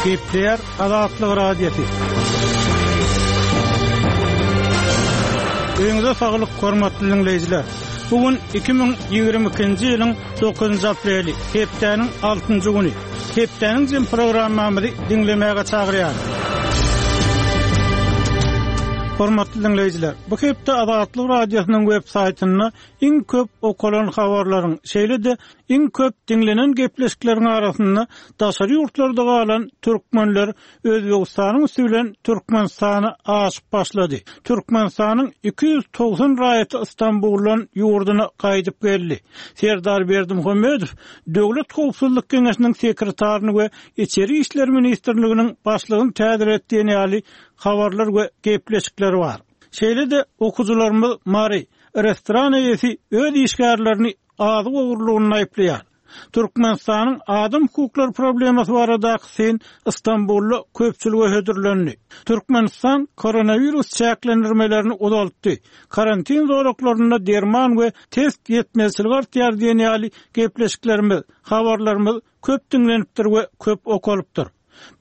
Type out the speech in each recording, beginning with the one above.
Gepleýär Azatlyk Radiosy. Öýüňize saglyk, hormatly diňleýjiler! Bu gün 2022-nji ýylyň 9-njy apreli, hepdäniň altynjy güni. Hepdäniň jem programmamyzy diňlemäge çagyrýarys. Hormatly diňleýjiler, bu hepde Azatlyk Radiosynyň web saýtynda iň köp okalan habarlaryň, şeýle-de iň köp diňlenen gepleşikleriň arasynda daşary ýurtlarda galan türkmenler Özbegistanyň üsti bilen Türkmenistana aşyp başlady. Türkmenistanyň 290 raýaty Stambuldan ýurduna gaýdyp geldi. Serdar Berdimuhamedow Döwlet howpsuzlyk geňeşiniň sekretaryny we Içeri işler ministrliginiň başlygyny täzeledi diýen ýaly habarlar we gepleşikler bar. Şeýle-de okyjylarymyz Mary restoran eýesi öz işgärlerini azyk ogurlygynda aýyplaýar. Türkmenistanyň adam hukuklary problemasy baradaky syn Stambulda köpçülige hödürlendi. Türkmenistan koronawirus çäklendirmelerini uzaltdy. Karantin zolaklarynda derman we test ýetmezçiligi artýar diýen ýaly gepleşiklerimiz, habarlarymyz köp diňlenipdir we köp okalypdyr.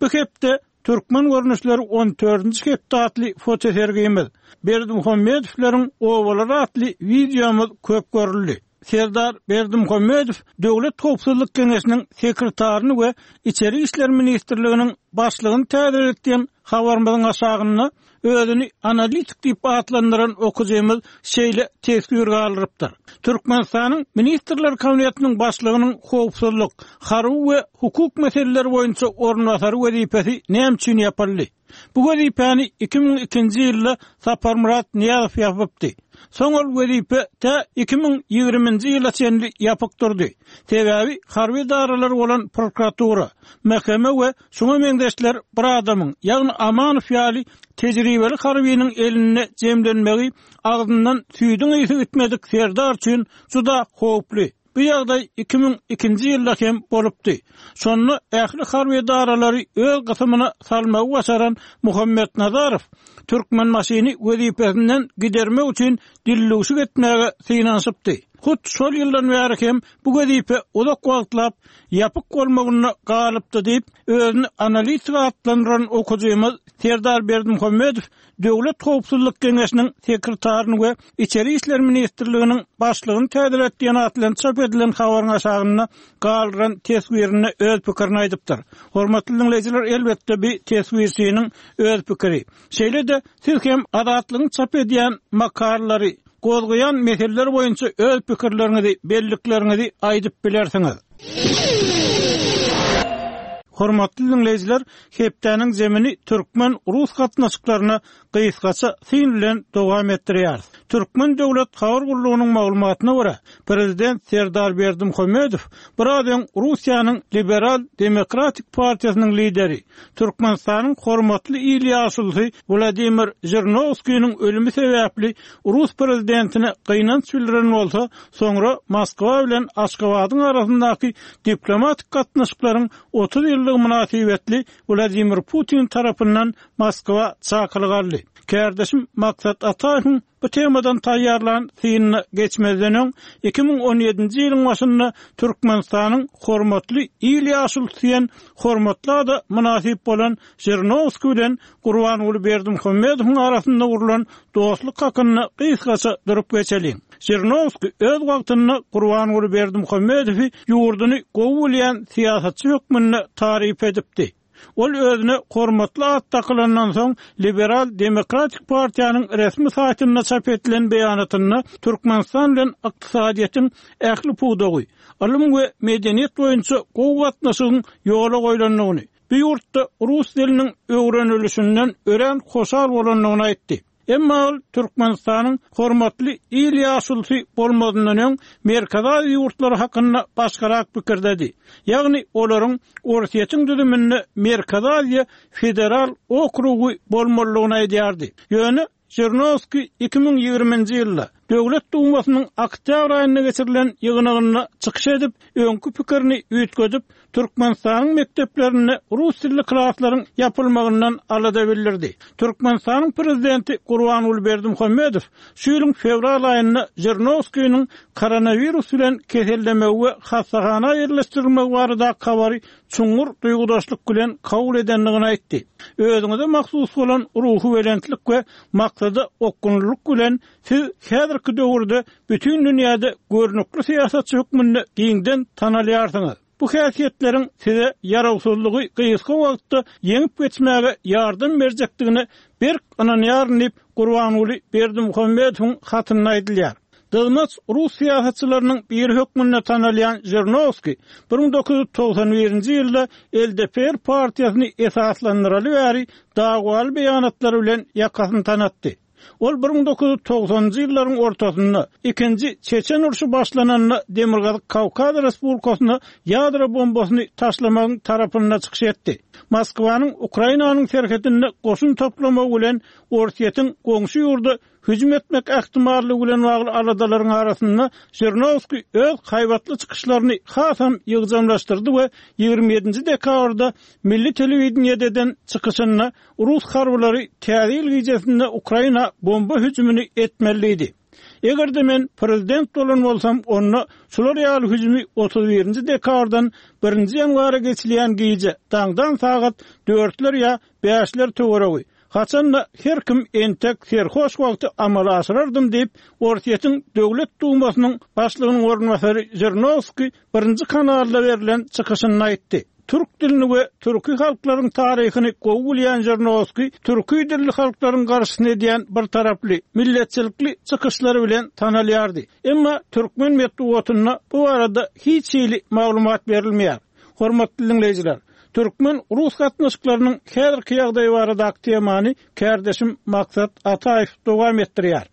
Bu hepde Türkmen görnüşleri on dördünji hepde atly fotosergimiz, Berdimuhamedowlaryň obalary atly wideomyz köp görüldi. Serdar Berdimuhamedow Döwlet howpsuzlyk geňeşiniň sekretaryny we Içeri işler ministrliginiň başlygyny täzeledi diýen habarymyzyň aşagynda özüni analitik diýip atlandyran okyjymyz şeýle teswir galdyrypdyr, Türkmenistanyň Ministrler Kabinetiniň Başlygynyň howpsuzlyk, harby we hukuk meseleleri boýunça orunbasary wezipesi näme üçin ýapyldy? Bu wezipäni 2002-nji ýylda Saparmyrat Nyýazow ýapypdy. Soň ol wezipe tä 2020-nji ýyla çenli ýapyk durdy. Sebäbi harby edaralar bolan prokuratura, MHM we şuňa meňzeşler bir adamyň, ýagny Amanow ýaly tejribeli harbynyň elinde jemlenmegi agzyndan süýdüň ysy gitmedik serdar üçin juda howply. Bu ýagdaý 2002-nji ýylda hem bolupdy. Şonda ähli harby edaralary öz gysymyna salmagy başaran Muhammet Nazarow Türkmenbaşyny wezipesinden gidermek üçin dildüwşük etmäge synanyşypdy. Hut şol ýyldan bäri hem bu wezipe uzak wagtlap ýapyk bolmagynda galypdy diýip, özüni analitik atlandyran okyjymyz Serdar Berdimuhamedow Döwlet howpsuzlyk geňeşiniň sekretaryny we Içeri işler ministrliginiň başlygyny täzelet diýen at bilen çap edilen habaryň aşagynda galdyran teswirinde öz pikirini aýdypdyr. Hormatly diňleýjiler, elbetde bi teswirçiniň öz pikiri. Şeýle-de siz hem Azatlygyň çap edýän makalalary, gozgaýan meseleler boýunça öz pikirleriňizi, bellikleriňizi aýdyp bilersiňiz. Hormatly diňleýjiler, hepdäniň zemini türkmen-rus gatnaşyklaryna gysgaça syn bilen dowam etdirýäris. Türkmen döwlet habar gullugynyň maglumatyna görä, prezident Serdar Berdimuhamedow biraz öň Russiýanyň Liberal demokratik partiýasynyň lideri, Türkmenistanyň hormatly il ýaşulusy Wladimir Žirinowskiniň ölümi sebäpli rus prezidentine gynanç bildiren bolsa, soňra Moskwa bilen Aşgabadyň arasyndaky diplomatik gatnaşyklaryň 30 ýyllygy mynasybetli Wladimir Putin tarapyndan Moskwa çakylyk aldy. Kärdeşim Maksat Ataýewiň bu temadan taýýarlan synyna geçmezden öň, 2017-nji ýylyň başynda Türkmenistanyň Hormatly il ýaşulusy diýen hormatly ada mynasyp bolan Žirinowskiý bilen Gurbanguly Berdimuhamedowyň arasynda gurlan dostluk hakynda gysgaça durup geçeliň. Žirinowskiý öz wagtynda Gurbanguly Berdimuhamedowy ýurduny gowy bilýän syýasatçy hökmünde taryp edipdi. Ol özüne hormatly at dakylandan soň Liberal Demokratik partiýanyň resmi saýtynda çap edilen beýanatynda Türkmenistan bilen ykdysadyýetiň ähli pudagy, ylym we medeniýet boýunça gowy gatnaşygyň ýola goýlandygyny, bu ýurtda rus diliniň öwrenilişinden örän hoşal bolandygyny aýtdy. Emma ol Türkmenistanyň hormatly il ýaşulusy bolmazyndan öň Merkezi Aziýa ýurtlary hakynda başgarak pikirdedi. Ýagny olaryň Orsýetiň düzüminde Merkezi Aziýa federal okrugy bolmalydygyny aýdýardy. Ýöne Žirinowskiý 2020-nji ýylda. Döwlet Dumasynyň oktýabr aýynda geçirilen ýygnagynda çykyş edip, öňki pikirini üýtgedip, Türkmenistanyň mekdeplerinde rus dilli klaslaryň ýapylmagyndan alada bildirdi. Türkmenistanyň prezidenti Gurbanguly Berdimuhamedow şu ýylyň fewral aýynda Žirinowskiniň koronawirus bilen kesellemegi we hassahana ýerleşdirilmegi baradaky habary çuňňur duýgudaşlyk bilen kabul edendigini aýtdy. Özüňize mahsus bolan ruhubelentlik we maksada okgunlylyk bilen siz häzirki döwürde bütin dünýäde görnükli syýasatçy hökmünde giňden tanalýarsyňyz. Bu häsiýetleriň size ýarawsyzlygy gysga wagtda ýeňip geçmäge ýardam berjekdigine berk ynanýaryn diýip, Gurbanguly Berdimuhamedowyň hatynda aýdylýar. Dyzmaç rus syýasatçylarynyň biri hökmünde tanalýan Žirinowskiý 1991-nji ýylda LDPR partiýasyny esaslandyraly bäri dawaly beýanatlary bilen ýakasyny tanatdy. Ol 1990-njy ýyllaryň ortasynda, ikinji Çeçen urşy başlananda Demirgazyk Kawkaz Respublikasyna ýadro bombasyny taşlamagyň tarapynda çykyş etdi. Moskwanyň Ukrainanyň serhedinde goşun toplamagy bilen Orsýetiň goňşy ýurda hüjüm etmek ähtimallygy bilen bagly aladalaryň arasynda Žirinowskiý öz haýbatly çykyşlaryny hasam ýygjamlaşdyrdy we 27-nji dekabrda milli telewideniýede eden çykyşynda Rus harbylary Täze ýyl gijesinde Ukraina bomba hüjümini etmeli diýdi. Eger-de men prezident bolan bolsam, onda şular ýaly hüjümi 31-nji dekabrdan birinji ýanwara geçilýän gije, daňdan sagat dörtler ýa bäşler töweregi, haçan-da her kim entek serhoş wagty amala aşyrardym diýip, Orsýetiň Döwlet Dumasynyň başlygynyň orunbasary Žirinowskiý birinji kanalda berlen çykyşynda aýtdy. Türk dilini we türki halklaryň taryhyny gowy bilýän Žirinowskiý türki dilli halklaryň garşysyna edýän birtaraply, milletçilikli çykyşlary bilen tanalýardy. Emma türkmen metbugatynda bu barada hiç hili maglumat berilmeýär. Hormatly diňleýjiler, türkmen-rus gatnaşyklarynyň häzirki ýagdaýy baradaky temany Kärdeşim Maksat Ataýew dowam etdirýär.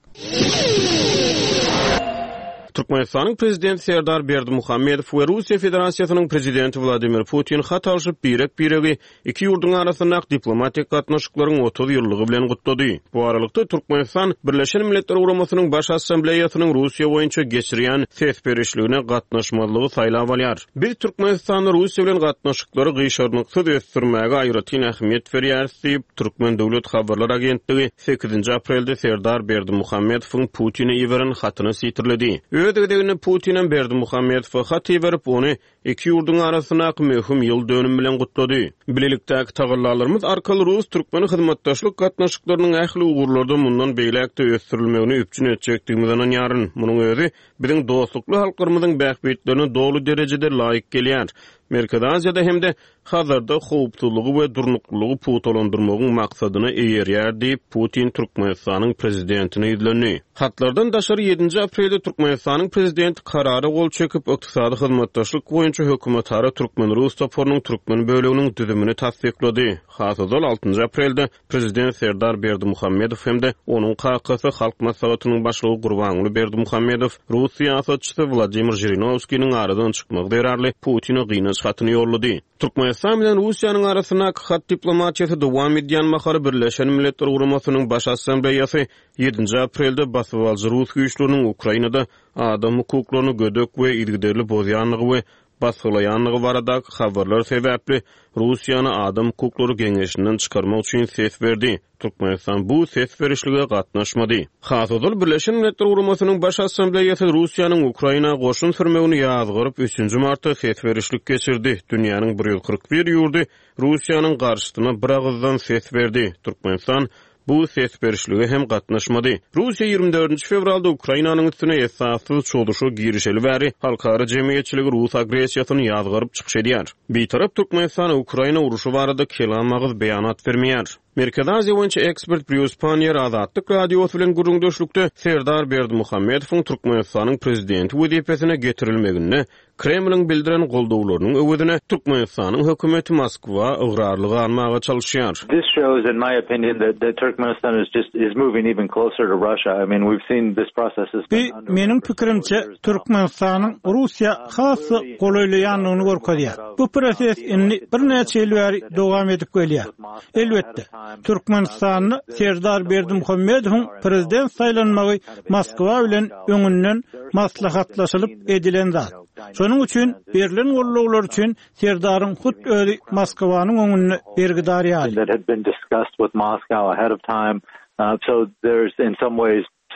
Türkmenistanyň Prezidenti Serdar Berdimuhamedow we Russiýa Federasiýasynyň Prezidenti Wladimir Putin hat alşyp, birek-biregi iki ýurduň arasyndaky diplomatik gatnaşyklaryň 30 ýyllygy bilen gutlady. Bu aralykda, Türkmenistan Birleşen Milletler Guramasynyň Baş Assambleýasynyň Russiýa boýunça geçirýän ses berişligine gatnaşmazlygy saýlap alýar. Biz Türkmenistanda Russiýa bilen gatnaşyklary gyşarnyksyz ösdürmäge aýratyn ähmiýet berýäris diýip, Türkmen döwlet habarlar agentligi sekizinji aprelde Serdar Berdimuhamedowyň Putine iberen hatyny sitirledi. Öz gezeginde Putinem Berdimuhamedowa hat iberip, ony iki ýurduň arasyndaky möhüm ýyl dönümi bilen gutlady. Bilelikdäki tagallalarymyz arkaly rus-türkmen hyzmatdaşlyk gatnaşyklarynyň ähli ugurlarda mundan beýläk-de ösdürilmegini üpjün etjekdigimize ynanýaryn. Munuň özi biziň dostlukly halklarymyzyň bähbitlerine doly derejede laýyk gelýär. Merkezi Aziýada hem-de Hazarda howpsuzlygy we durnuklylygy pugtalandyrmagyň maksadyna eýerýär diýip, Putin Türkmenistanyň Prezidentine ýüzlendi. Hatlardan daşary ýedinji aprelde Türkmenistanyň Prezidenti Karara gol çekip, Ykdysady hyzmatdaşlyk boýunça hökümetara türkmen-rus toparynyň türkmen böleginiň düzümini tassyklady. Has ozal, altynjy aprelde Prezident Serdar Berdimuhamedow hem-de onuň kakasy, Halk Maslahatynyň Başlygy Gurbanguly Berdimuhamedow rus syýasatçysy Wladimir Žirinowskiniň aradan çykmagy zerarly Putine gynanç hatyny ýollady. Türkmenistan bilen Russiýanyň arasyndaky hat diplomatiýasy dowam edýän mahaly Birleşen Milletler Guramasynyň Baş Assambleýasy ýedinji aprelde basybalyjy rus güýçleriniň Ukrainada adam hukuklaryny gödek we yzygiderli bozýandygy we basgylaýandygy baradaky habarlar sebäpli Russiýany Adam hukuklary geňeşinden çykarmak üçin ses berdi. Türkmenistan bu ses berişlige gatnaşmady. Has ozal Birleşen Milletler Guramasynyň Baş Assambleýasy Russiýanyň Ukraina goşun sürmegini ýazgaryp, üçünji martda ses berişlik geçirdi. Dünýäniň 141 ýurdy Russiýanyň garşysyna biragyzdan ses berdi. Türkmenistan bu ses berişlige hem gatnaşmady. Russiýa 24 fewralda Ukrainanyň üstüne esassyz çozuşa girişeli bäri halkara jemgyýetçiligi rus agressiýasyny ýazgaryp çykyş edýär. Bitarap Türkmenistan Ukraina urşy barada kelam agyz beýanat bermeýär. Merkezi Aziýa boýunça ekspert Brýus Panniýer Azatlyk Radiosy bilen gürrüňdeşlikde Serdar Berdimuhamedowyň Türkmenistanyň prezidenti wezipesine getirilmeginde Kremliň bildiren goldawlarynyň öwezine Türkmenistanyň hökümeti Moskwa ygrarly galmaga çalyşýar. This shows in my opinion that that Turkmenistan is just is moving even closer to Russia. I mean we've seen this process has been Bu, meniň pikirimçe, Türkmenistanyň Russiýa has-da golaýlaýandygyny görkezýär. Bu proses indi birnäçe ýyl bäri dowam edip gelýär. Elbetde, Türkmenistanda Serdar Berdimuhamedowyň prezident saýlanmagy Moskwa bilen öňünden maslahatlaşylyp edilen zat. Şonuň üçin berlen gollawlar üçin Serdaryň hut özi Moskwanyň öňünde bergidar ýaly.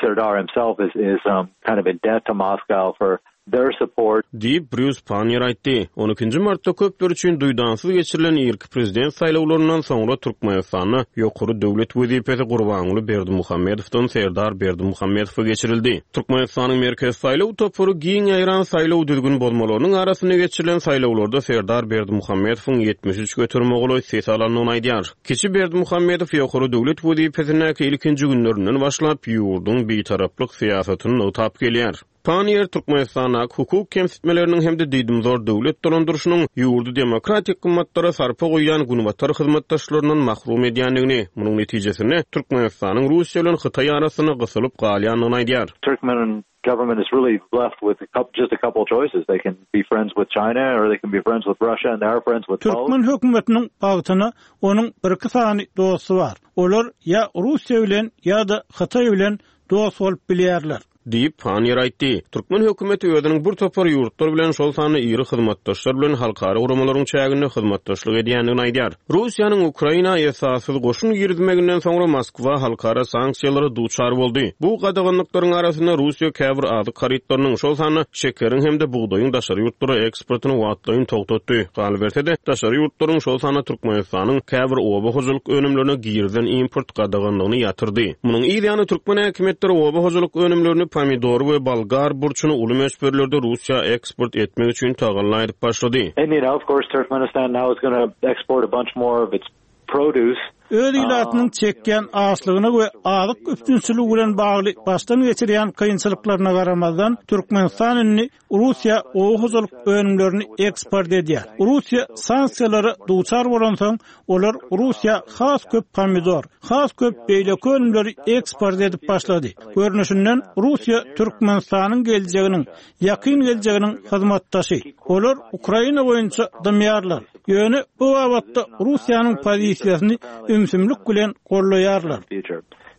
Serdar himself is is kind of in debt to Moscow for their support. Diýip, Brýus Panniýer aýtdy. On ikinji martda köpler üçin duýdansyz geçirilen irki prezident saýlawlaryndan soňra Türkmenistanda ýokary döwlet wezipesi Gurbanguly Berdimuhamedowdan Serdar Berdimuhamedowa geçirildi. Türkmenistanyň Merkezi saýlaw topary giň ýaýran saýlaw düzgün bozmalarynyň arasynda geçirilen saýlawlarda Serdar Berdimuhamedowyň 73 göterime golaý ses alandygyny aýdýar. Kiçi Berdimuhamedow ýokary döwlet wezipesindäki ilkinji günlerinden başlap, ýurduň bitaraplyk syýasatyny nygtap gelýär. Panniýer Türkmenistandaky hukuk kemsitmeleriniň hem-de diýdimzor döwlet dolandyryşynyň ýurdy demokratik gymmatlara sarpa goýýan günbatar hyzmatdaşlaryndan mahrum edýändigini, munuň netijesinde Türkmenistanyň Russiýa bilen Hytaý arasynda gysylyp galýandygyny aýdýar. Turkmen government is really left with just a couple choices. They can be friends with China or they can be friends with Russia and they are friends with both. Türkmen hökümetiniň bagtyna onuň birki sany dosty bar. Olar ýa Russiýa bilen ýa-da Hytaý bilen dost bolup bilýärler. Diýip, Panniýer aýtdy. Türkmen hökümeti özüniň bir topar ýurtlar bilen, şol sanda iri hyzmatdaşlar bilen halkara guramalaryň çäginde hyzmatdaşlyk edýändigini aýdýar. Russiýanyň Ukraina esassyz goşun girizmeginden soňra Moskwa halkara sanksiýalara duçar boldy. Bu gadaganlyklaryň arasynda Russiýa käbir azyk harytlarynyň, şol sanda şekeriň hem-de bugdaýyň daşary ýurtlara eksportyny wagtlaýyn togtatdy. Galyberse-de, daşary ýurtlaryň, şol sanda Türkmenistanyň käbir oba hojalyk önümlerine girizilen import gadaganlygyny ýatyrdy. Munuň yz ýany türkmen häkimiýetleri oba hojalyk önümlerini, pomidory we bolgar burçuny uly möçberlerde Russiýa eksport etmek üçin tagalla edip başlady. And you know, of course, Turkmenistan now is gonna export a bunch more of its produce. Öz ilatynyň çekýän açlygyna we azyk üpjünçiligi bilen bagly başdan geçirýän kynçylyklaryna garamazdan, Türkmenistan indi Russiýa oba hojalyk önümlerini eksport edýär. Russiýa sanksiýalara duçar bolansoň, olar Russiýa has köp pomidor, has köp beýleki önümleri eksport edip başlady. Görnüşinden, Russiýa Türkmenistanyň geljeginiň, ýakyn geljeginiň hyzmatdaşy. Olar Ukraina boýunça dymýarlar. Ýöne bu babatda Russiýanyň pozisiýasyny ümsümlik bilen gollaýarlar.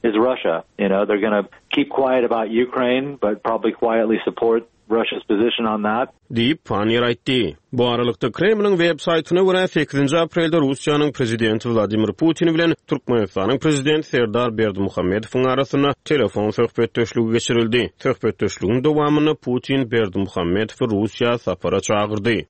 Is Russia, you know, they're gonna keep quiet about Ukraine, but probably quietly support Russia's position on that. Diýip, Panniýer aýtdy. Bu aralykda, Kremliň web saýtyna görä, sekizinji aprelde Russiýanyň Prezidenti Wladimir Putin bilen Türkmenistanyň Prezidenti Serdar Berdimuhamedowyň arasynda telefon söhbetdeşligi geçirildi. Söhbetdeşligiň dowamynda Putin Berdimuhamedowy Russiýa sapara çagyrdy.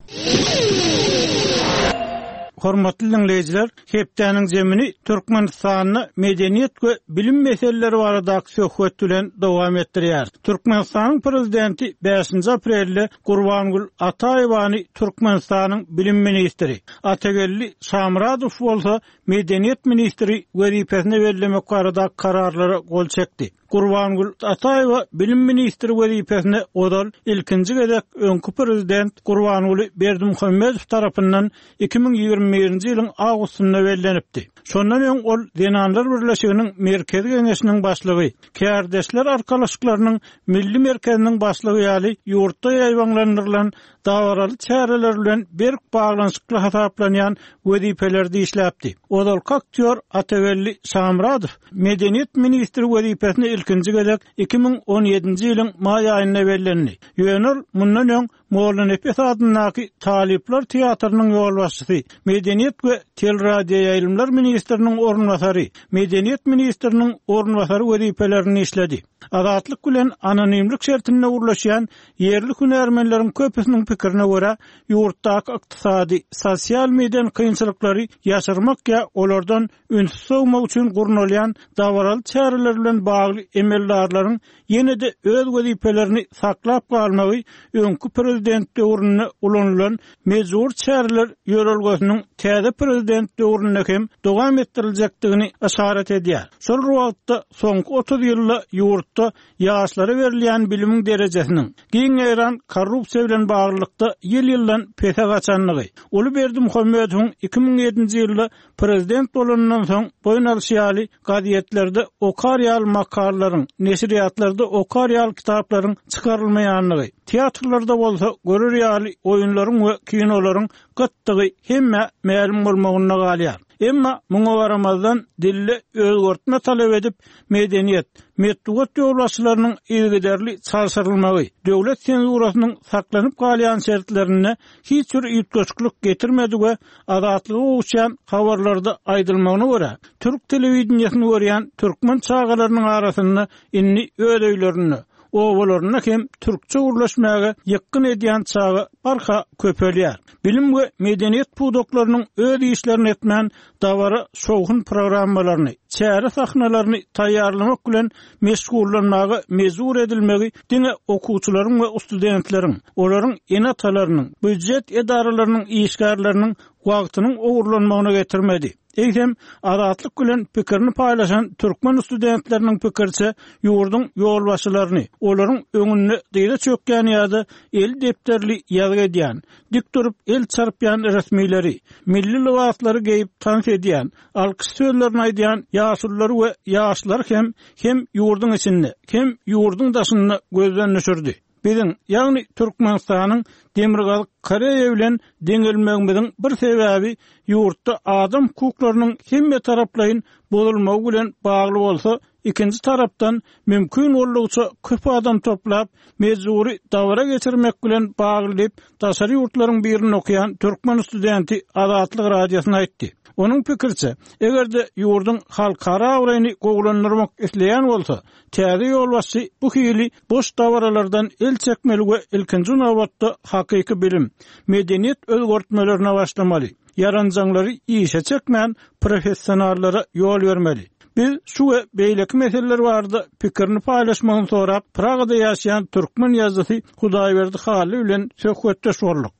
Hormatly diňleýjiler, hepdäniň jemini Türkmenistanda medeniýet we bilim meseleleri baradaky söhbet bilen dowam etdirýäris. Türkmenistanyň Prezidenti bäşinji aprelde Gurbangül Ataýewany Türkmenistanyň bilim ministri, Atageldi Şamyradow bolsa medeniýet ministri wezipesine bellemek baradaky kararlara gol çekdi. Gurbangül Ataýewa bilim ministri wezipesine ozal ilkinji gezek öňki prezident Gurbanguly Berdimuhamedow tarapyndan 2021-nji ýylyň awgustynda bellenipdi. Şondan öň ol Zenanlar birleşiginiň Merkezi Geňeşiniň başlygy, Kärdeşler arkalaşyklarynyň Milli merkeziniň başlygy ýaly ýurtda ýaýbaňlandyrylan dabaraly çäreler bilen berk baglanyşykly hasaplanýan wezipelerde işläpdi. Ozalky aktýor Atageldi Şamyradow medeniýet ministri wezipesine ilkinji gezek 2017-nji ýylyň maý aýynda bellendi. Ýöne ol mundan öň Mollanepes adyndaky talyplar teatrynyň ýolbaşçysy, medeniýet we teleradioýaýlymlar ministriniň orunbasary, medeniýet ministriniň orunbasary wezipelerinde işledi. Azatlyk bilen anonimlik şertinde gürleşýän ýerli hünärmenleriň köpüsiniň pikirine görä, ýurtdaky ykdysady, sosial-medeni kynçylyklary ýaşyrmak ýa olardan ünsi sowmak üçin gurnalýan dabaraly çäreler bilen bagly emeldarlaryň ýene-de öz wezipelerini saklap galmagy öňki prezident döwründe ulanylan mejbury çäreler ýörelgesiniň täze prezident döwründe hem dowam etdiriljekdigini yşarat edýär. Şol bir wagtda, soňky 30 ýylda ýurtda ýaşlara berilýän bilimiň derejesiniň, giň ýaýran korrupsiýa bilen baglylykda ýyl-ýyldan pese gaçandygy, uly Berdimuhamedowyň 2007-nji ýylda prezident bolanyndan soň boýun alşy ýaly gazetlerde okar ýaly makalalaryň, neşirýatlarda okar ýaly kitaplaryň çykarylmaýandygy, teatrlarda bolsa görer ýaly oýunlaryň we kinolaryň gytdygy hemmä mälim bolmagynda galýar. Emma muňa garamazdan, dilde özgertme talap edip, medeniýet, metbugat ýolbaşçylarynyň yzygiderli çalşyrylmagy, döwlet senzurasynyň saklanyp galýan şertlerinde hiç bir üýtgeşiklik getirmedi we Azatlyga gowuşýan habarlarda aýdylmagyna görä, türk telewideniýesini görýän türkmen çagalarynyň arasynda indi öz öýlerinde, obalarynda hem türkçe gürleşmäge ýykgyn edýän çaga barha köpelýär. Bilim we medeniýet pudaklarynyň öz işlerini etmän, dabara şowhun programmalaryny, çäre sahnalaryny taýýarlamak bilen meşgullanmaga mejbur edilmegi diňe okuwçylaryň we studentleriň, olaryň ene-atalarynyň, býujet edaralarynyň işgärleriniň wagtynyň ogurlanmagyna getirmedi. Eýsem, Azatlyk bilen pikirini paýlaşan türkmen studentleriniň pikiriçe, ýurduň ýolbaşçylaryny, olaryň öňünde dyza çökýän ýa-da eli depderli ýazgy edýän, dik durup el çarpýan resmileri, milli lybaslary geýip tans edýän, alkyş sözlerini aýdýan ýaşululary we ýaşlary hem hem ýurduň içinde, hem ýurduň daşynda gözden düşürdi. Biziň, ýagny Türkmenistanyň Demirgazyk Koreýa bilen deňelmegimiziň bir sebäbi ýurtda adam hukuklarynyň hemmetaraplaýyn bozulmagy bilen bagly bolsa, ikinji tarapdan, mümkin boldugyça köp adam toplap, mejbury dabara geçirmek bilen bagly diýip, daşary ýurtlaryň birinde okaýan türkmen studenti Azatlyk Radiosyna aýtdy. Onuň pikiriçe, eger-de ýurduň halkara abraýyny gowulandyrmak isleýän bolsa, Täze ýolbaşçy bu hili boş dabaralardan el çekmeli we ilkinji nobatda hakyky bilim, medeniýet özgertmelerine başlamaly. Ýaranjaňlary işe çekmän, professionallara ýol bermeli. Biz şu we beýleki meseleler barada pikirini paýlaşmagyny sorap, Pragada ýaşaýan türkmen ýazyjysy Hudaýberdi Hally bilen söhbetdeş bolduk.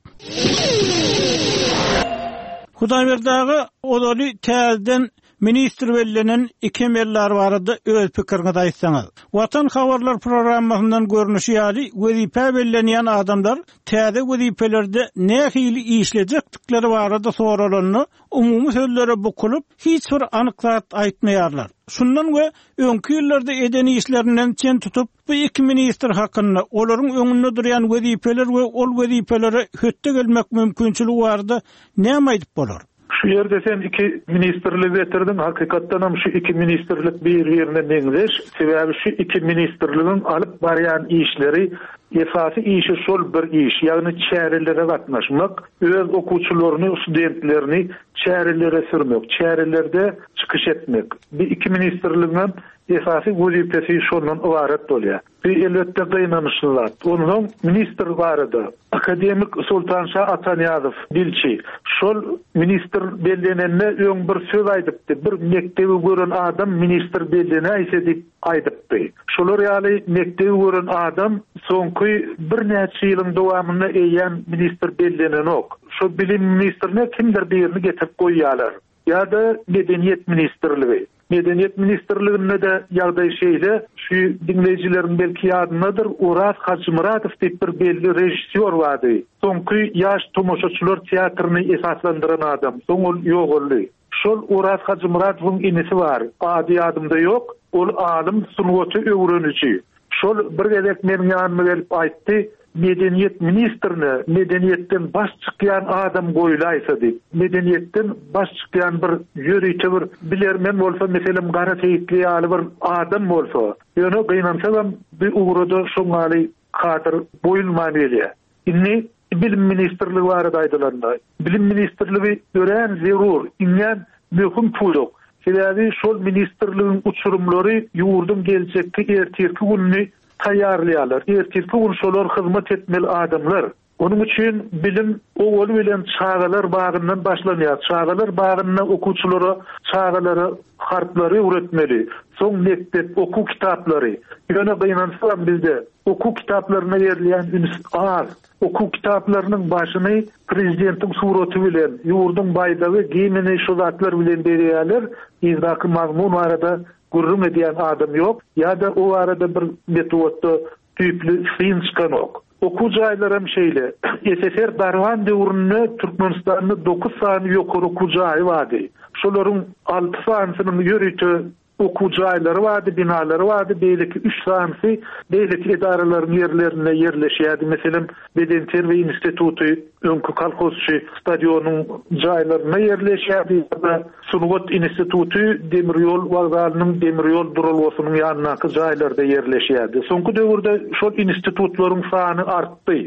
Hudaýberdi aga, ozaly täzeden Ministr bellenen iki emeldar barada öz pikiriňizi aýtsaňyz. Watan habarlar programmasyndan görnüşi ýaly wezipä bellenýän adamlar täze wezipelerde nähili işlejekdikleri barada soralanda umumy sözlere bukulyp hiç bir anyk zat aýtmaýarlar. Şundan we öňki ýyllarda eden işlerinden çen tutup bu iki ministr hakynda, olaryň öňünde durýan wezipeler we ol wezipelere hötde gelmek mümkinçiligi barada näme aýdyp bolar? Şu ýerde sen iki ministrligi getirdiň, hakykatdanam şu iki ministrlik bir-birine meňzeş, sebäbi şu iki ministrligiň alyp barýan işleri, esasy işi şol bir iş, ýagny çärelere gatnaşmak, öz okuwçylaryny, studentlerini çärelere sürmek, çärelerde çykyş etmek. Bu iki ministrligiňem esasy wezipesi şondan ybarat bolýar. Bu elbetde gynanyçly zat. Onsoň ministr barada, akademik Soltanşa Atanyýazow, dilçi, şol ministr bellenende öň bir söz aýdypdy, bir mekdebi gören adam ministr bellenäýse diýip aýdypdy. Şolar ýaly mekdebi gören adam soňky birnäçe ýylyň dowamynda eýýäm ministr bellenenok. Şo bilim ministrine kimdir birini getirip goýýarlar. Ýa-da Medeniýet ministrligi. Medeniýet ministrliginde-de ýagdaý şeýle, şu diňleýjileriň belki ýadyndadyr, Oraz Hajymyradow diýip bir belli režissýor bardy. Soňky Ýaş tomaşaçylar teatryny esaslandyran adam. Soň ol ýogaldy. Şol Oraz Hajymyradowyň inisi bar, ady ýadymda ýok, ol alym, sungaty öwreniji. Şol bir gezek meniň ýanyma gelip aýtdy, Medeniýet ministrine medeniýetden baş çykýan adam goýlaýsa diýip. Medeniýetden baş çykýan bir ýörite bir bilermen bolsa, meselem Gara Seýitli ýaly bir adam bolsa. Ýöne gynansagam bu ugrada şoň ýaly kadr goýulman gelýär. Indi Bilim ministrligi barada aýdylanda, Bilim ministrligi örän zerur, iňňän möhüm pudak. Sebäbi şol ministrligiň uçurymlary ýurduň geljekki ertirki gününi taýýarlaýarlar. Ertirki gün şolar hyzmat etmeli adamlar. Onuň üçin bilim owaly bilen çagalar bagyndan başlanýar. Çagalar bagynda okuwçylara, çagalara harplary öwretmeli. Soň mekdep, okuw kitaplary. Ýöne gynansagam bizde okuw kitaplaryna berilýän üns az. Okuw kitaplarynyň başyny prezidentiň suraty bilen, ýurduň baýdagy, gimni şu zatlar bilen bezeýärler. Yzdaky mazmun barada gürrüň edýän adam ýok ýa-da o barada bir metbugatda düýpli syn çykanok. Okuw jaýlaram şeýle. SSR dargan döwründe Türkmenistanda dokuz sany ýokary okuw jaýy bardy. Şolaryň alty sanysynyň ýörite. okuw jaýlary bardy, binalary bardy, beýleki üç sanysy beýleki edaralaryň ýerlerinde ýerleşýärdi. Meselem, Bedenterbiýe instituty öňki kolhozçy stadionyň jaýlarynda ýerleşýärdi ýa-da Sungat instituty demir ýol wokzalynyň demir ýol duralgasynyň ýanyndaky jaýlarda ýerleşýärdi. Soňky döwürde şol institutlaryň sany artdy.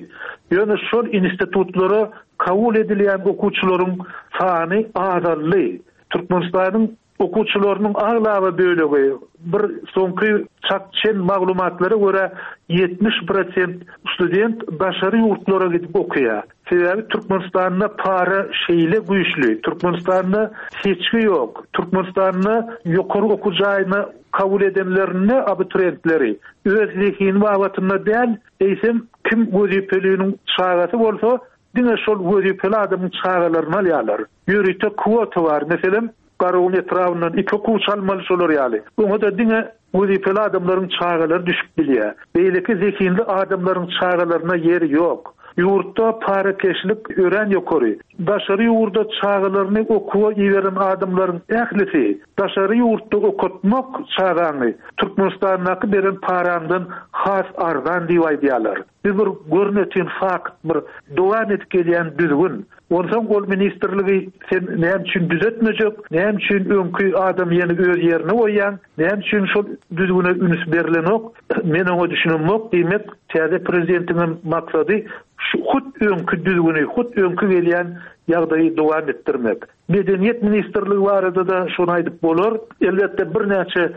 Ýöne şol institutlara kabul edilýän okuwçylaryň sany azaldy. Türkmenistanyň Okuwçylarynyň aglaba bölegi, bir soňky çak-çen maglumatlara görä, 70 prosent student daşary ýurtlara gidip okaýar. Sebäbi Türkmenistanda para şeýle güýçli, Türkmenistanda seçgi ýok. Türkmenistanda ýokary okuw jaýyna kabul edenlerinde abiturentleri öz zehini babatynda däl, eýsem kim wezipeliniň çagasy bolsa, Diňe şol wezipeli adamyň çagalaryny alýarlar. Ýörite kwota bar. Meselem, Garagum etrabyndan iki okuwçy almaly şolar ýaly. Oňa-da diňe wezipeli adamlaryň çagalary düşüp bilýär. Beýleki zehinli adamlaryň çagalaryna ýer ýok. Ýurtda parakeşlik örän ýokary. Daşary ýurda çagalaryny okuwa iberen adamlaryň ählisi daşary ýurtda okatmak çagaňy Türkmenistandaky beren paraňdan has arzan diýip aýdýarlar. Bu bir görnetin fakt, bir dowam edip gelýän düzgün. Onsoň ol ministrligi sen näme üçin düzetmejek, näme üçin öňki adamy ýene öz ýerine goýýaň, näme üçin şol düzgüne üns berlenok, men oňa düşünemok, diýmek, täze prezidentiňem maksady şu hut öňki düzgüni, hut öňki gelýän ýagdaýy dowam etdirmek. Medeniýet ministrligi barada-da şony aýdyp bolar. Elbetde birnäçe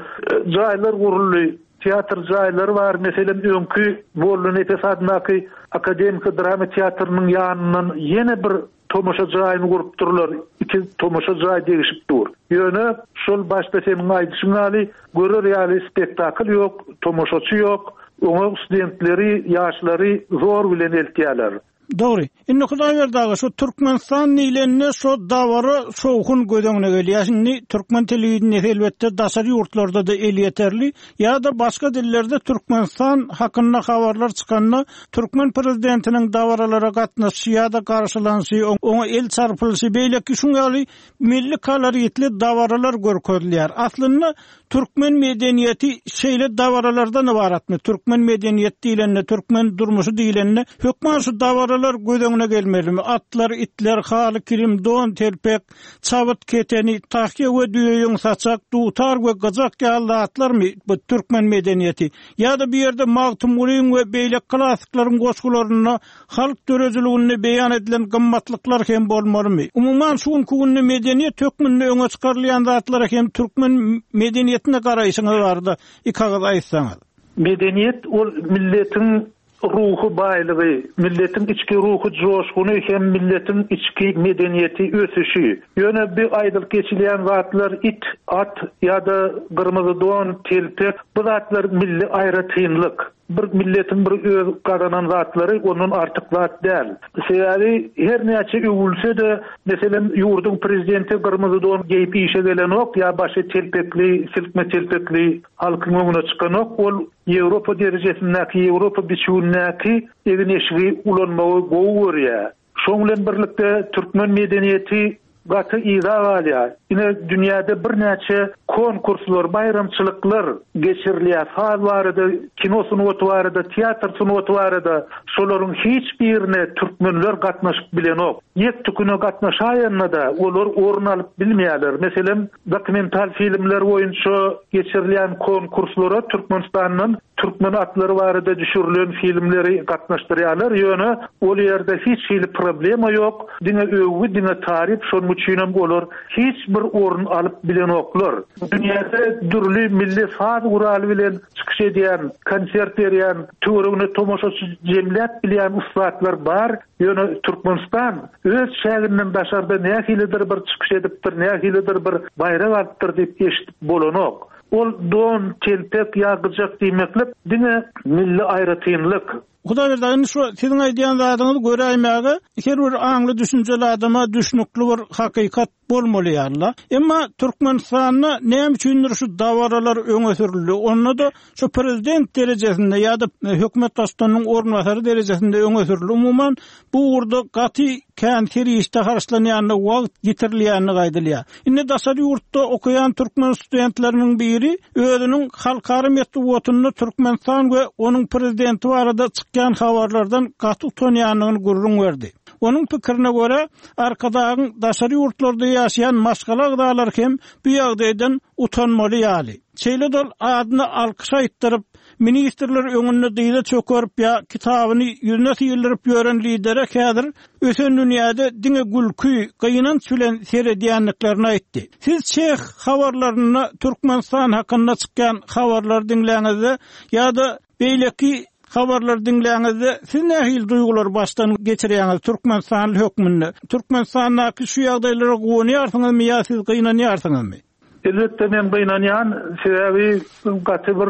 jaýlar guruldy, Teatr jaýlary bar, meselem, öňki Mollanepes adyndaky akademiki drama teatrynyň ýanyndan ýene bir tomaşa jaýyny gurupdyrlar, iki tomaşa jaý degişip dur. Ýöne, şol başda seniň aýdyşyň ýaly, görer ýaly spektakl ýok, tomaşaçy ýok, oňa studentleri, ýaşlary zor bilen eltýärler. Dogry. Indi Hudaýberdi aga şu Türkmenistan diýlende şo dabara şowhun göz öňüne gelýär. Indi türkmen telewideniýesi elbetde daşary ýurtlarda-da elýeterli ýa-da başga dillerde Türkmenistan hakynda habarlar çykanda türkmen prezidentiniň dabaralara gatnaşyşy ýa-da garşylanyşy, oňa el çarpylyşy beýleki şuň ýaly milli koloritli dabaralar görkezilýär. Aslynda Türkmen medeniýeti şeýle dabaralardan ybaratmy? Türkmen medeniýeti diýlende, türkmen durmuşy diýlende, hökman şu dabaralar göz öňüne gelmelimi? Atlar, itler, haly, kilim, don, telpek, çabyt, keteni, tahýa we düýeýüň saçak, dutar we gyjak ýaly zatlarmy bu türkmen medeniýeti? Ýa-da bu ýerde Magtymgulyň we beýleki klassyklaryň goşgularynda Halk döredijiliginde beýan edilen gymmatlyklar hem bolmalymy? Umuman, şu günki günde medeniýet hökmünde öňe çykarylýan zatlara hem türkmen medeniýetine garaýşyňyz barada iki agyz aýtsaňyz. Medeniýet ol milletiň ruhy baýlygy, milletiň içki ruhy joşguny hem milletiň içki medeniýeti ösüşi. Ýöne bu aýdylyp geçilýän zatlar it, at ýa-da gyrmyzy don, telpek bu zatlar milli aýratynlyk. Bir milletiň bir öz gazanan zatlary ondan artyk zat däl. Sebäbi her näçe öwülse-de, meselem, ýurduň prezidenti gyrmyzy don geýip işe gelenok ýa başy telpekli, silkme telpekli halkyň öňüne çykanok. Ol Ýewropa derejesindäki, Ýewropa biçüwindäki egin-eşigi ulanmagy gowy görýär. Şoň bilen birlikde türkmen medeniýeti gaty yza galýar. Ine dünýäde birnäçe konkurslar, baýramçylyklar geçirilýär. Saz barada, kino sungaty barada, teatr sungaty barada şolaryň hiç birine türkmenler gatnaşyp bilenok. Ýek-tüküne gatnaşaýanda-da olar orun alyp bilmeýärler. Meselem, dokumental filmler boýunça geçirilýän konkurslara Türkmenistandan Türkmen atlary barada düşürilen filmleri gatnaşdyrýarlar, ýöne ol ýerde hiç hili problema ýok, diňe öwgi, diňe taryp, şonuň üçinem olar hiç bir orun alyp bilenoklar. Dünýäde dürli milli saz guraly bilen çykyş edýän, konsert berýän, töweregine tomaşaçy jemläp bilýän ussatlar bar, ýöne Türkmenistan öz çäginden daşarda nähilidir bir çykyş edipdir, nähilidir bir baýrak alypdyr diýip eşidip bolanok. Ol don, telpek ýa gyjak diýmeklik diňe milli aýratynlyk. Hudaýberdi aga, indi şu siziň aýdýan zadyňyz göräýmäge her bir aňly düşünjeli adama düşnükli bir hakykat bolmaly ýaly-la. Emma Türkmenistanda näme üçindir şu dabaralar öňe sürüldi. Onda-da şu prezident derejesinde ýa-da hökümet baştutanynyň orunbasary derejesinde öňe sürüldi. Umuman, bu ugurda gaty kän serişde harçlanýandygy, wagt ýitirilýändigi aýdylýar. Indi daşary ýurtda okaýan türkmen studentleriniň biri özüniň halkara metbugatynda Türkmenistan we onuň prezidenti barada çykýan habarlardan gaty utanýandygyny gürrüň berdi. Onuň pikirine görä, Arkadagyň daşary ýurtlarda ýaşaýan maşgala agzalary hem bu ýagdaýdan utanmaly ýaly. Şeýle-de ol adyna alkyş aýtdyryp, ministrler öňünde dyza çökerip ýa kitabyny ýüzüne syldyryp ýören lidere häzir ösen dünýäde diňe gülki, gynanç bilen seredýändiklerini aýtdy. Siz çeh habarlarynda Türkmenistan hakynda çykýan habarlary diňläňizde ýa-da beýleki habarlary diňläňizde siz nähili duýgulary başdan geçirýäňiz türkmenistanly hökmünde? Türkmenistandaky şu ýagdaýlara guwanýarsyňyzmy ýa siz gynanýarsyňyzmy? Elbetde men gynanýan, sebäbi gaty bir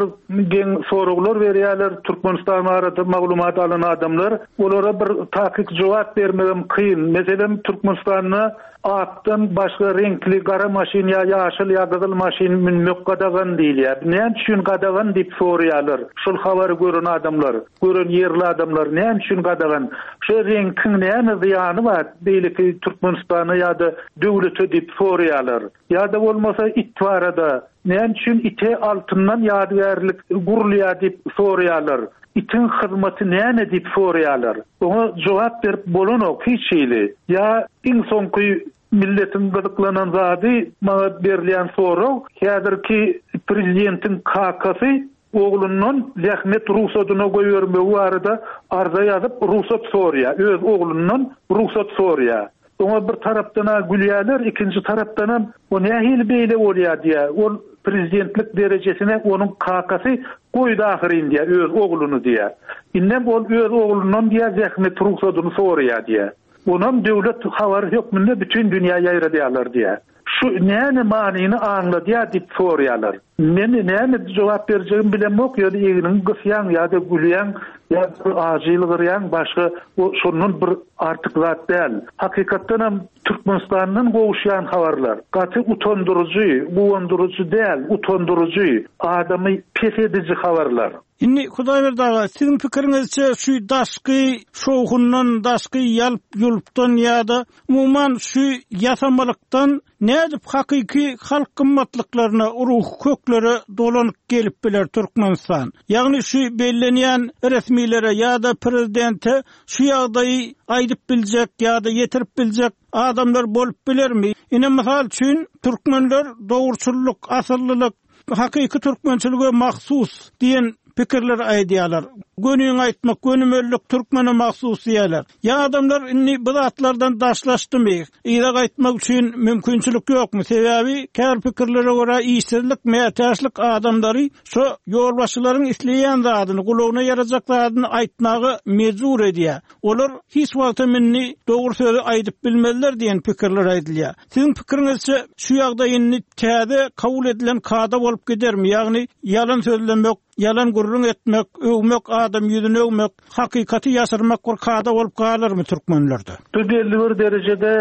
geň soraglar berýärler Türkmenistan barada maglumat alan adamlar. Olara bir takyk jogap bermegem kyn. Meselem, Türkmenistanda akdan başga reňkli gara maşyn ýa ýaşyl ýa gyzyl maşyn münmek gadagan diýilýär. Näme üçin gadagan diýip soraýarlar şol habary gören adamlar, gören ýerli adamlar näme üçin gadagan? Şo reňkiň näme zyýany bar beýleki Türkmenistana ýa-da döwlete diýip soraýarlar. Ýa-da bolmasa it barada, näme üçin ite altyndan ýadygärlik gurulýar diýip soraýarlar. Itiň hyzmaty näme diýip soraýarlar. Oňa jogap berip bolanok hiç hili. Ýa iň soňky milletiň gyzyklanan zady maňa berilýän sorag, häzirki prezidentiň kakasy oglundan zähmet rugsadyna goýbermegi barada arza ýazyp rugsat soraýar, öz oglundan rugsat soraýar. Oňa bir tarapdan-a gülýärler, ikinji tarapdanam o nähili beýle bolýar diýýär. Ol prezidentlik derejesine onuň kakasy goýdy ahyryn diýýär, öz ogluny diýýär. Indem ol öz oglundan diýýär zähmet rugsadyny soraýar diýýär. Onam döwlet habary hökmünde bütin dünýä ýaýradýarlar diýýär. Şu näme manyny aňladýar diýip soraýarlar. Men näme jogap berjegimi bilemok, ýöne egniňi gysýaň ýa-da gülýäň ýa-da bir ajy ýylgyrýaň, başga o şondan bir artyk zat däl. Hakykatdanam Türkmenistandan gowuşýan habarlar gaty utandyryjy, guwandyryjy däl, utandyryjy, adamy pes ediji habarlar. Indi Hudaýberdi aga, siziň pikiriňizçe şu daşky şowhundan, daşky ýalp-ýulpdan ýa-da umuman şu ýasamalykdan nädip hakyky halk gymmatlyklaryna, ruhy köklere dolanyp gelip biler Türkmenistan? Ýagny şu bellenýän resmilere ýa-da prezidente şu ýagdaýy aýdyp biljek ýa-da ýetirip biljek adamlar bolup bilermi? Ine mysal üçin türkmenler dogruçyllyk, asyllylyk, Hakyky türkmençilige mahsus diýen pikirleri aýdýarlar. Göniňi aýtmak, gönümellik türkmene mahsus diýýärler. Ýa adamlar indi bu zatlardan daşlaşdymy? Yza gaýtmak üçin mümkinçilik ýokmy? Sebäbi käbir pikirlere görä işsizlik, mätäçlik adamlary şo ýolbaşçylaryň isleýän zadyny, gulagyna ýarajak zadyny aýtmaga mejbur edýär. Olar hiç wagtam indi dogry sözi aýdyp bilmezler diýen pikirler aýdylýar. Siziň pikiriňizçe, şu ýagdaý indi täze kabul edilen kada bolup gidermi, ýagny ýalan sözlemek, ýalan gürrüň etmek, öwmek, adam ýüzüni öwmek, hakykaty ýaşyrmak bir kada bolup galarmy türkmenlerde? Bu belli bir derejede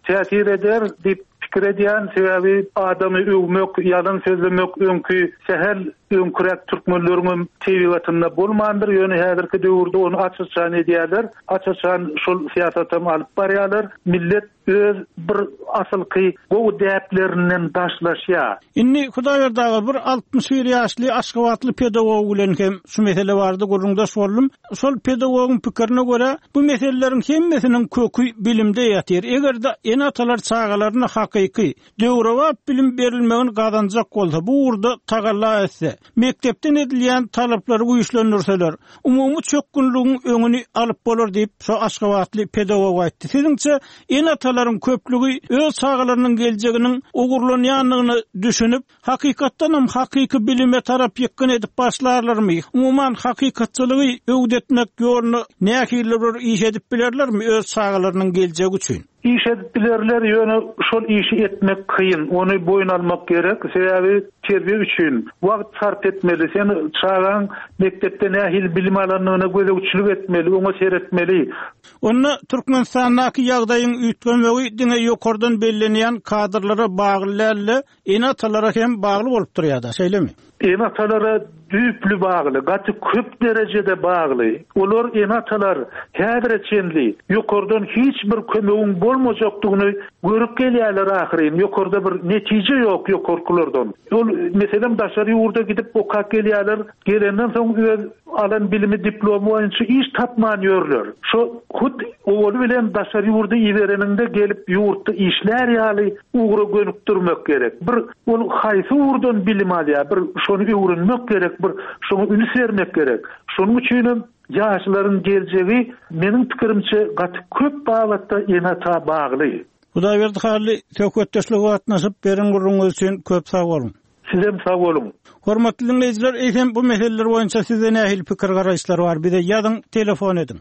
täsir eder diýip pikir edýän, sebäbi adamy öwmek, ýalan sözlemek öňki sähel öňküräk türkmenleriňem tebigatynda bolmandyr, ýöne häzirki döwürde ony aç-açan edýärler, aç-açan şol syýasatam alyp barýarlar. Millet öz bir asylky gowy däplerinden daşlaşýar. Indi Hudaýberdi aga bir 61 ýaşly aşgabatly pedagog bilen hem şu mesele barada gürrüňdeş boldum. Şol pedagogyň pikirine görä, bu meseleleriň hemmesiniň köki bilimde ýatyr. Eger-de ene-atalar çagalaryna hakyky, döwrebap bilim berilmegini gazanjak bolsa, bu ugurda tagalla etse, mekdepden edilýän talaplary güýçlendirseler, umumy çökgünligiň öňüni alyp bolar diýip, şo aşgabatly pedagog aýtdy. Siziňçe, ene-atalaryň köplügi öz çagalarynyň geljeginiň ogurlanýandygyna düşünip, hakykatdanam hakyky bilime tarap ýykgyn edip başlarlarmy? Umuman, hakykatçylygy öwdetmek ýolunda nähilidir bir iş edip bilerlermi öz çagalarynyň geljegi üçin? Iş edip bilerler, ýöne şol işi etmek kyn, ony boýun almak gerek. Sebäbi. Terbiýe üçin wagt sarp etmeli. Sen çagaň mekdepde nähili bilim alandygyna gözegçilik etmeli, oňa seretmeli. Onda Türkmenistandaky ýagdaýyň üýtgemegi diňe ýokardan bellenýän kadrlara bagly däl-de, Ene-atalara hem bagly bolup durýar-da, şeýlemi? Ene-atalara düýpli bagly, gaty köp derejede bagly. Olar, ene-atalar häzire çenli ýokardan hiç bir kömegiň bolmajakdygyny görüp gelýärler ahyryn. Ýokarda bir netije ýok ýokarkylardan. Ol, meselem, daşary ýurda gidip okap gelýärler, gelenden soň öz alan bilimi, diplomy boýunça iş tapman ýörler. Şo hut owaly bilen daşary ýurda ibereniňde gelip ýurtda işlär ýaly ugra gönükdirmek gerek. Bir ol haýsy ugurdan bilim alýar, bir şony öwrenmek gerek, bir şoňa üns bermek gerek. Şonuň üçinem ýaşlaryň geljegi meniň pikirimçe gaty köp babatda ene-ata bagly. Hudaýberdi Hally, söhbetdeşlige gatnaşyp, beren gürrüňiňiz üçin köp sag boluň! Sizem sag boluň. Hormatly diňleýjiler, eýsem bu meseleler boýunça sizde nähili pikir-garaýyşlar bar? Bize ýazyň, telefon ediň.